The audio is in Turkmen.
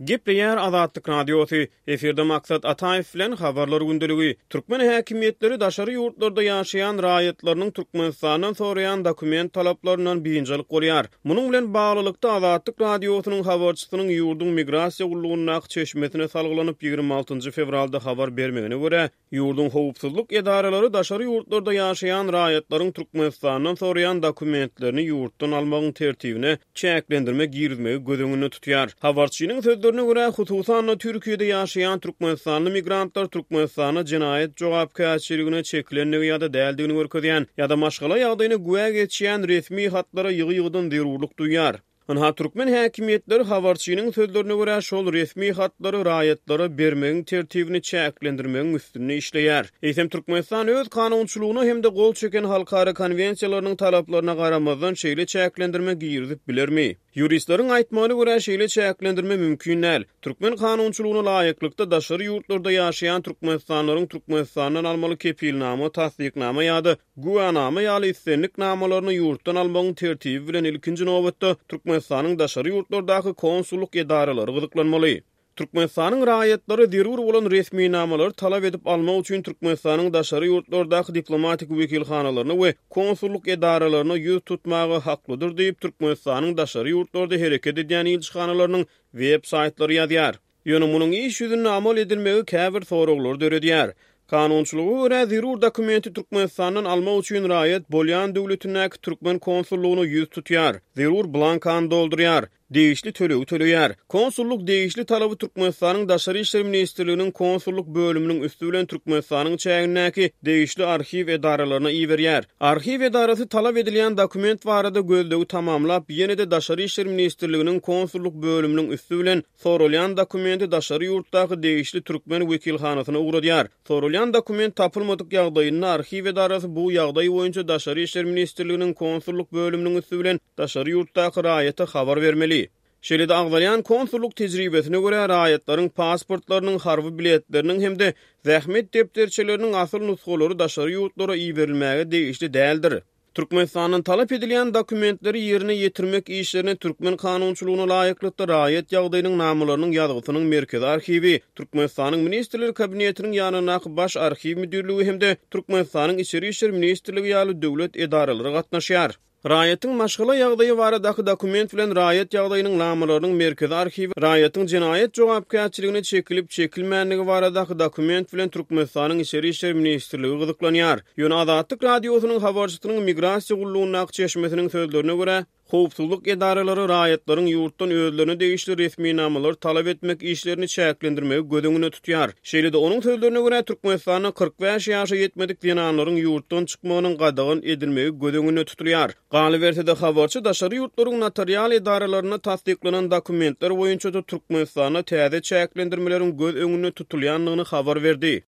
Gepleýär Azatlyk Radiosy, Efirde Maksat Ataýew bilen Habarlar gündeligi. Türkmen häkimiýetleri daşary ýurtlarda ýaşaýan raýatlarynyň Türkmenistandan soraýan dokument talaplaryndan biynjalyk bolýar. Munuň bilen baglylykda, Azatlyk Radiosynyň habarçysynyň ýurduň Migrasiýa gullugyndaky çeşmesine salgylanyp, 26 fewralda habar bermegine görä, Ýurduň howpsuzlyk edaralary daşary ýurtlarda ýaşaýan raýatlaryň Türkmenistandan soraýan dokumentlerini ýurtdan almagyň tertibine çäklendirme girizmegi göz öňünde tutýar. Habarçynyň sözlerine görä, hususan-da, Türkiýede ýaşaýan türkmenistanly migrantlar Türkmenistanda jenaýat jogapkärçiligine çekilendigi ýa-da däldigini görkezýän ýa-da maşgala ýagdaýyna güwä geçýän resmi hatlara ýygy-ýygydan zerurlyk duýýar. Ynha, türkmen häkimiýetleri habarçynyň sözlerine görä, şol resmi hatlary raýatlara bermegiň tertibini çäklendirmegiň üstünde işleýär. Eýsem, Türkmenistan öz kanunçylygyna hem-de gol çeken halkara konwensiýalarynyň talaplaryna garamazdan şeýle çäklendirme girizip bilermi? Ýuristleriň aýtmagyna görä, şeýle çäklendirme mümkin däl. Türkmen kanunçylygyna laýyklykda, daşary ýurtlarda ýaşaýan türkmenistanlylaryň Türkmenistandan almaly kepilnama, tassyknama ýa-da Güwänama ýaly islendik namalaryny ýurtdan almagyň tertibi bilen ilkinji nobatda Türkmenistanyň daşary ýurtlardaky konsullyk edaralary gyzyklanmaly. Türkmenistanyň raýatlary zerur bolan resminamalary talap edip almak üçin Türkmenistanyň daşary ýurtlardaky diplomatik wekilhanalaryna we konsullyk edaralaryna ýüz tutmaga haklydyr diýip, Türkmenistanyň daşary ýurtlarda hereket edýän ilçihanalarynyň web saýtlary ýazýar. Ýöne munuň iş ýüzünde amal edilmegi käbir soraglary döredýär. Kanunçylyga görä, zerur dokumenti Türkmenistandan almak üçin raýat bolýan döwletindäki türkmen konsullygyna ýüz tutýar, zerur blankany doldurýar, degişli tölegi töleýär. Konsullyk degişli talaby Türkmenistanyň Daşary işler ministrliginiň konsullyk bölüminiň üsti bilen Türkmenistanyň çägindäki degişli arhiw edaralaryna iberýär. Arhiw edarasy talap edilýän dokument barada gözlegi tamamlap, ýene-de Daşary işler ministrliginiň konsullyk bölüminiň üsti bilen Soralýan dokumenti daşary ýurtdaky degişli türkmen wekilhanasyna ugradýar. Soralýan dokument tapylmadyk ýagdaýynda arhiw edarasy bu ýagdaý boýunça Daşary işler ministrliginiň konsullyk bölüminiň üsti bilen daşary ýurtdaky raýata habar bermeli. Şeýle-de agzalýan konsullyk tejribesine görä, raýatlaryň pasportlarynyň, harby biletleriniň hem-de zähmet depderçeleriniň asyl nusgalary daşary ýurtlara iberilmäge degişli däldir. Türkmenistandan talap edilýän dokumentleri ýerine ýetirmek işlerine türkmen kanunçylygyna laýyklykda raýat ýagdaýynyň namalarynyň ýazgysynyň Merkezi arhiwi, Türkmenistanyň Ministrler Kabinetiniň ýanyndaky Baş arhiw müdirligi hem-de Türkmenistanyň Içeri işler ministrligi ýaly döwlet edaralary gatnaşýar. Raýatyň maşgala ýagdaýy baradaky dokument bilen raýat ýagdaýynyň namalarynyň Merkezi arhiwi raýatyň jenaýat jogapkärçiligine çekilip-çekilmändigi baradaky dokument bilen Türkmenistanyň Içeri işler ministrligi gyzyklanýar. Ýöne Azatlyk Radiosynyň habarçysynyň Migrasiýa gullugyndaky çeşmesiniň sözlerine görä, howpsuzlyk edaralary raýatlaryň ýurtdan özlerine degişli resminamalary talap etmek işlerini çäklendirmegi göz öňünde tutýar. Şeýle-de, onuň sözlerine görä, Türkmenistanda 45 ýaşa ýetmedik zenanlaryň ýurtdan çykmagynyň gadagan edilmegi göz öňünde tutulýar. Galyberse-de, habarçy daşary ýurtlaryň notarial edaralarynda tassyklanan dokumentler boýunça-da Türkmenistanda täze çäklendirmeleriň göz öňünde tutulýandygyny habar berdi.